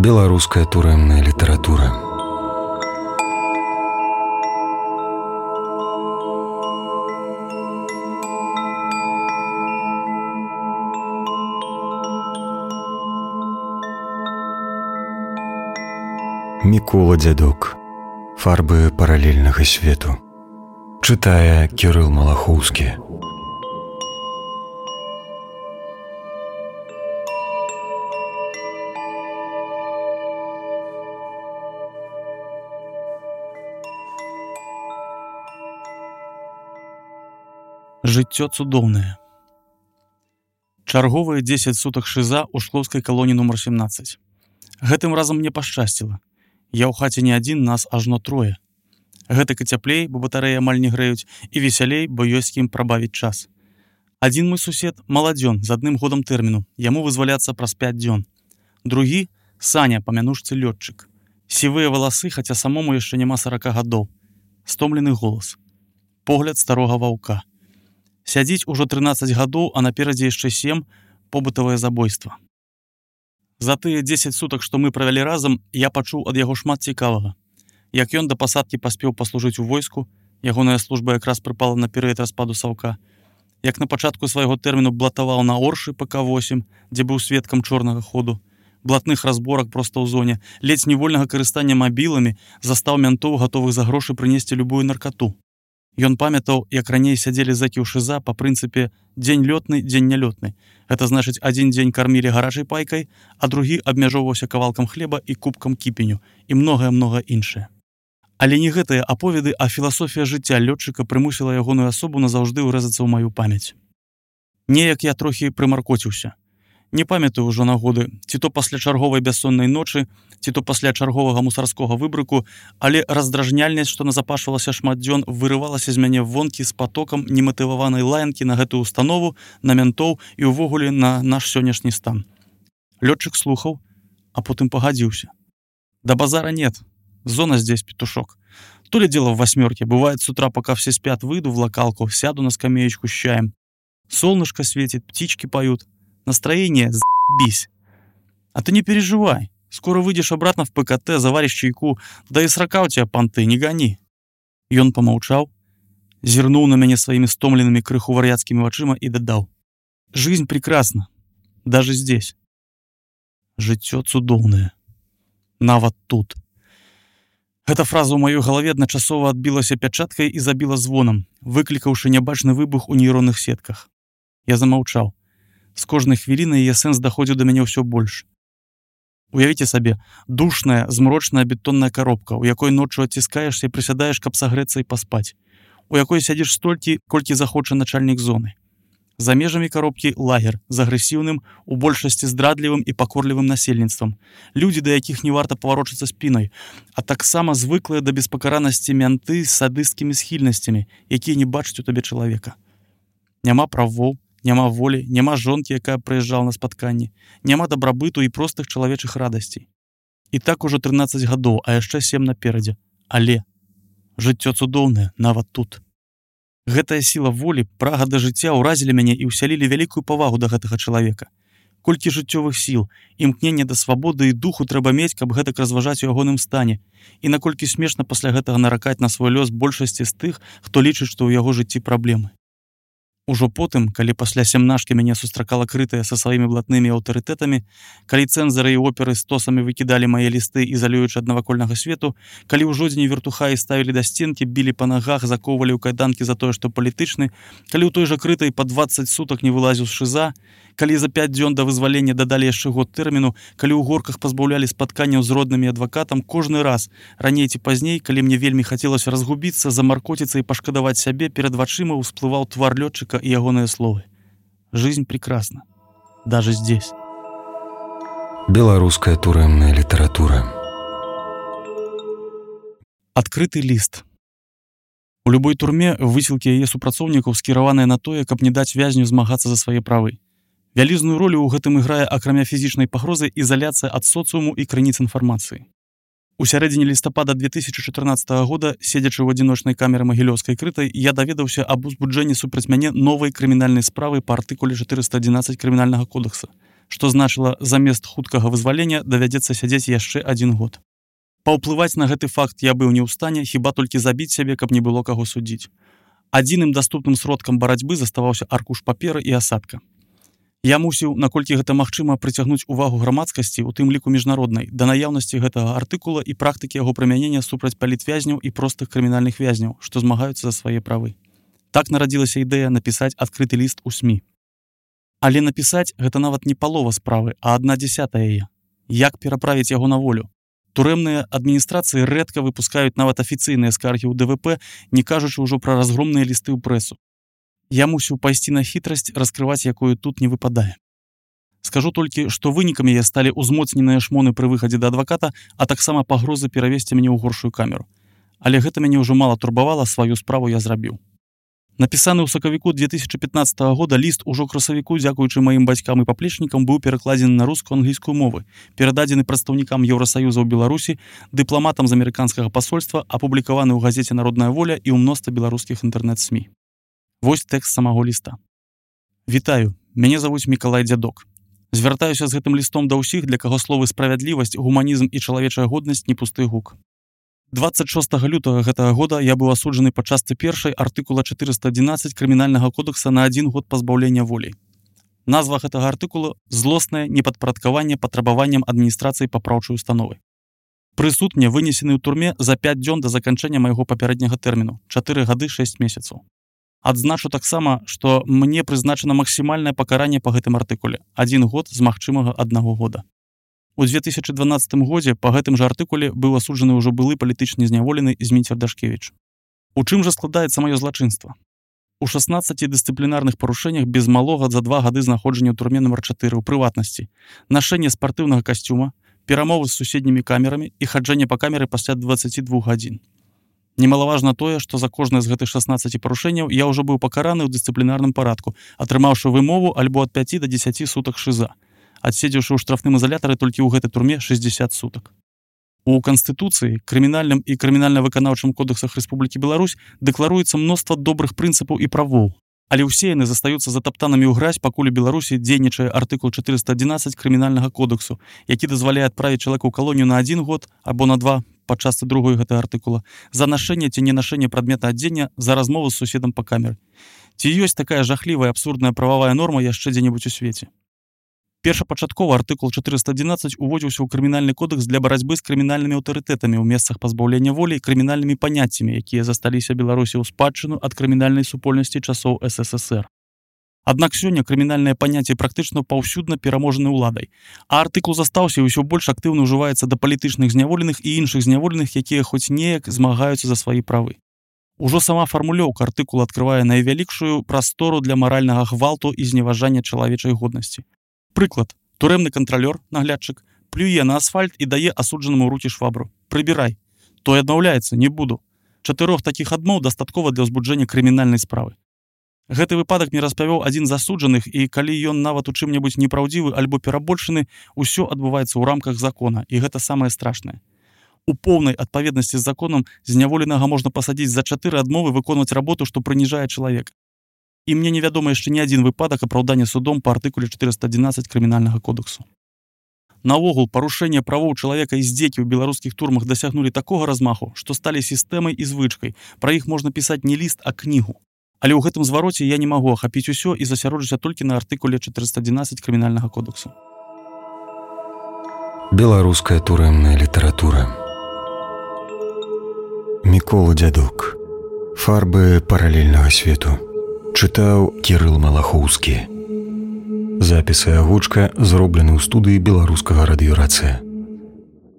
Беларуская турэмная літаратура. Мікола Дзядок. Фарбы паралельнага свету. Чытае Кірыл Малахоўскі. Жыццё цудоўнае. Чарговыя 10 сутак шыза ў шклоўскай калоніі нумар 17. Гэтым разам мне пашчасціла. Я ў хаце не адзін, нас ажно трое. Гэтак і цяплей, бо батарэі амаль не грэюць, і весялей, бо ёсць кім прабавіць час. Адзін мой сусед маладзён з 1 годам тэрміну, яму вызваляцца праз 5 дзён. Другі Саня, па мянушцы лётчык. Сівыя валасы, хаця самому яшчэ няма 40 гадоў. Стомлены голас. Погляд старога ваўка. Сядзіць ужо 13 гадоў, а наперадзе яшчэ 7 побытавае забойства. За тыя 10 сутак, што мы правялі разам, я пачуў ад яго шмат цікавага. Як ён да пасадкі паспеў паслужыць у войску, ягоная служба якраз прыпала на перыяд распаду саўка. Як на пачатку свайго тэрміну блатаваў на Оршы ПК-8, дзе быў сведкам чорнага ходу, блатных разборак проста ў зоне, ледзь нівольнага карыстання мабіламі, застаў мянтоў, гатовых за грошы прынесці любую наркату. Ён памятаў, як раней сядзелі зэкі ў шыза па прынцыпе дзень лётны, дзень нялётны. Гэта значыць, адзін дзень кармілі гарачай пайкай, а другі абмяжоўваўся кавалкам хлеба і кубкам кіпеню, і многае-многа іншае. Але не гэтыя аповеды, а філасофія жыцця лётчыка прымусіла ягоную асобу назаўжды ўрэзацца ў маю памяць. Неяк я трохі прымаркоціўся. Не памятаю ўжо нагоды, ці то пасля чарговай бяссоннай ночы, ці то пасля чарговага мусарскога выбрыку, але раздражняльнасць, што назапашвалася шмат дзён, вырывалася з мяне вонкі з патокам нематываванай лаянкі на гэтую установу, на мянтоў і ўвогуле на наш сённяшні стан. Лётчык слухаў, а потым пагадзіўся. Да базара нет, зона здесь, петушок. То ли дело в 8, бывает с утра, пока все спят, выйду в локалку, сяду на скамеечку с чаем. Солнышко светит, птички поют. Настроение з***бись. А ты не переживай. Скоро выйдешь обратно в ПКТ, заваришь чайку, да и срока у тебя понты, не гони. Ён помолчал, зернул на меня своими стомленными крыху вар'яцкими вачыма и дадал. Жизнь прекрасна. Даже здесь. Жыццё цудоўнае. Нават тут. Эта фраза ў маёй галаве адначасова адбілася пячаткай і забіла звонам, выклікаўшы нябачны выбух у нейронных сетках. Я замаўчаў. З кожнай хвілінай яе сэнс даходзіў да мяне ўсё больш. Уявіце сабе, душная, змрочная бетонная коробка, у якой ноччу адціскаешся і прысядаеш, каб сагрэцца і паспаць, у якой сядзіш столькі, колькі захоча начальнік зоны. За межамі коробкі лагер з агрэсіўным, у большасці здрадлівым і пакорлівым насельніцтвам, людзі, да якіх не варта паварочацца спінай, а таксама звыклыя да беспакаранасці мянты з садысцкімі схільнасцямі, якія не бачаць у табе чалавека. Няма правоў, няма волі, няма жонкі, якая прыязджала на спатканні, няма дабрабыту і простых чалавечых радасцей. І так ужо 13 гадоў, а яшчэ 7 наперадзе. Але жыццё цудоўнае нават тут. Гэтая сіла волі, прага да жыцця ўразілі мяне і ўсялілі вялікую павагу да гэтага чалавека. Колькі жыццёвых сіл, імкнення да свабоды і духу трэба мець, каб гэтак разважаць у ягоным стане, і наколькі смешна пасля гэтага наракаць на свой лёс большасці з тых, хто лічыць, што ў яго жыцці праблемы. Ужо потым, калі пасля сямнашкі мяне сустракала крытая са сваімі блатнымі аўтарытэтамі, калі цэнзары і оперы стосамі выкідалі мае лісты, ізалюючы ад навакольнага свету, калі ў жодзіне вертухаі ставілі да стенкі, білі па нагах, закоўвалі ў кайданкі за тое, што палітычны, калі ў той жа крытай па 20 сутак не вылазіў з шыза, калі за 5 дзён да вызвалення дадалі яшчэ год тэрміну, калі ў горках пазбаўлялі спатканняў з роднымі адвакатам, кожны раз, раней ці пазней, калі мне вельмі хацелася разгубіцца, замаркоціцца і пашкадаваць сябе, перад вачыма ўсплываў твар лётчыка и ягоныя словы. Жизнь прекрасна. Даже здесь. Беларуская турэмная літаратура. Адкрыты ліст. У любой турме высілкі яе супрацоўнікаў скіраваныя на тое, каб не даць вязню змагацца за свае правы. Вялізную ролю ў гэтым іграе, акрамя фізічнай пагрозы, ізаляцыя ад соцыуму і крыніц інфармацыі. У сярэдзіне лістапада 2014 года, седзячы ў адзіночнай камеры магілёўскай крытай, я даведаўся аб узбуджэнні супраць мяне новай крымінальнай справы па артыкуле 411 крымінальнага кодекса што значыла замест хуткага вызвалення давядзецца сядзець яшчэ 1 год. Паўплываць на гэты факт я быў не ў стане, хіба толькі забіць сябе, каб не было каго судзіць. Адзіным даступным сродкам барацьбы заставаўся аркуш паперы і асадка. Я мусіў, наколькі гэта магчыма, прыцягнуць увагу грамадскасці, у тым ліку міжнароднай, да наяўнасці гэтага артыкула і практыкі яго прымянення супраць палітвязняў і простых крымінальных вязняў, што змагаюцца за свае правы. Так нарадзілася ідэя напісаць адкрыты ліст у СМІ. Але напісаць гэта нават не палова справы, а 1/10 яе. Як пераправіць яго на волю? Турэмныя адміністрацыі рэдка выпускаюць нават афіцыйныя скаргі ў ДВП, не кажучы ўжо пра разгромныя лісты ў прэсу. Я мусіў пайсці на хітрасць, раскрываць якую тут не выпадае. Скажу толькі, што вынікам яе сталі ўзмоцненыя шмоны пры выхадзе да адваката, а таксама пагрозы перавесці мяне ў горшую камеру. Але гэта мяне ўжо мала турбавала, сваю справу я зрабіў. Напісаны ў сакавіку 2015 года ліст ужо красавіку, дзякуючы маім бацькам і паплечнікам, быў перакладзены на рускую-англійскую мовы, перададзены прадстаўнікам Еўрасаюза ў Беларусі, дыпламатам з амерыканскага пасольства, апублікаваны ў газеце «Народная воля» і ў мноства беларускіх інтэрнэт-СМІ. Вось тэкст самого ліста. Вітаю, мяне завуць Мікалай Дзядок. Звяртаюся з гэтым лістом да ўсіх, для каго словы справядлівасць, гуманізм і чалавечая годнасць не пусты гук. 26 лютага гэтага года я быў асуджаны па частцы 1 артыкула 411 крымінальнага кодекса на 1 год пазбаўлення волі. Назва гэтага артыкула – злоснае непадпарадкаванне патрабаванням адміністрацыі папраўчай установы. Прысуд мне вынесены ў турме за 5 дзён да заканчэння майго папярэдняга тэрміну – 4 гады 6 месяцаў. Адзначу таксама, што мне прызначана максімальнае пакаранне па гэтым артыкуле – 1 год з магчымага 1 года. У 2012 годзе па гэтым жа артыкуле быў асуджаны ўжо былы палітычны зняволены Зміцер Дашкевіч. У чым жа складаецца маё злачынства? У 16 дысцыплінарных парушэннях без малога за 2 гады знаходжання ў турме нумар 4 ў прыватнасці, нашэнне спартыўнага касцюма, перамовы з суседнімі камерамі і хаджэнне па камеры пасля 22 гадзін. Немалаважна тое, што за кожнае з гэтых 16 парушэнняў я ўжо быў пакараны ў дысцыплінарным парадку, атрымаўшы вымову альбо ад 5 до 10 сутак шыза, адседзеўшы ў штрафным ізалятары толькі ў гэтай турме 60 сутак. У Канстытуцыі, крымінальным і крымінальна-выканаўчым кодэксах Рэспублікі Беларусь дэкларуецца мноства добрых прынцыпаў і правоў, але ўсе яны застаюцца затаптанымі ў гразь, пакуль у Беларусі дзейнічае артыкул 411 крымінальнага кодексу, які дазваляе адправіць чалавека ў калонію на 1 год або на 2 па частцы 2 гэтага артыкула, за нашэнне ці ненашэнне прадмета адзення, за размову з суседам па камеры. Ці ёсць такая жахлівая абсурдная прававая норма яшчэ дзе-небудзь у свеце? Першапачаткова артыкул 411 уводзіўся ў крымінальны кодэкс для барацьбы з крымінальнымі аўтарытэтамі ў месцах пазбаўлення волі і крымінальнымі паняццямі, якія засталіся Беларусі ў спадчыну ад крымінальнай супольнасці часоў СССР. Аднак сёння крымінальныя паняцці практычна паўсюдна пераможаны ўладай, а артыкул застаўся і ўсё больш актыўна ўжываецца да палітычных зняволеных і іншых зняволеных, якія хоць неяк змагаюцца за свае правы. Ужо сама фармулёўка артыкула адкрывае найвялікшую прастору для маральнага гвалту і зневажання чалавечай годнасці. Прыклад. Турэмны кантралёр, наглядчык, плюе на асфальт і дае асуджанаму ў рукі швабру. Прыбірай. Той адмаўляецца, не буду. 4 такіх адмоў дастаткова для ўзбуджэння крымінальнай справы. Гэты выпадак мне распавёў адзін з асуджаных, і калі ён нават у чым-небудзь непраўдзівы альбо перабольшаны, усё адбываецца ў рамках закона, і гэта самае страшнае. У поўнай адпаведнасці з законам зняволенага можна пасадзіць за 4 адмовы выконваць работу, што прыніжае чалавека. І мне невядома яшчэ ні адзін выпадак апраўдання судом па артыкуле 411 крымінальнага кодексу. Наогул, парушэнне правоў чалавека і здзекі ў беларускіх турмах дасягнулі такога размаху, што сталі сістэмай і звычкай. Пра іх можна пісаць не ліст, а кнігу. Але ў гэтым звароце я не магу ахапіць усё і засяродзіцца толькі на артыкуле 411 крымінальнага кодексу. Беларуская турэмная літаратура. Мікола Дзядок. Фарбы паралельнага свету. Чытаў Кірыл Малахоўскі. Запіс і агучка зроблены ў студыі беларускага радыёрацыя.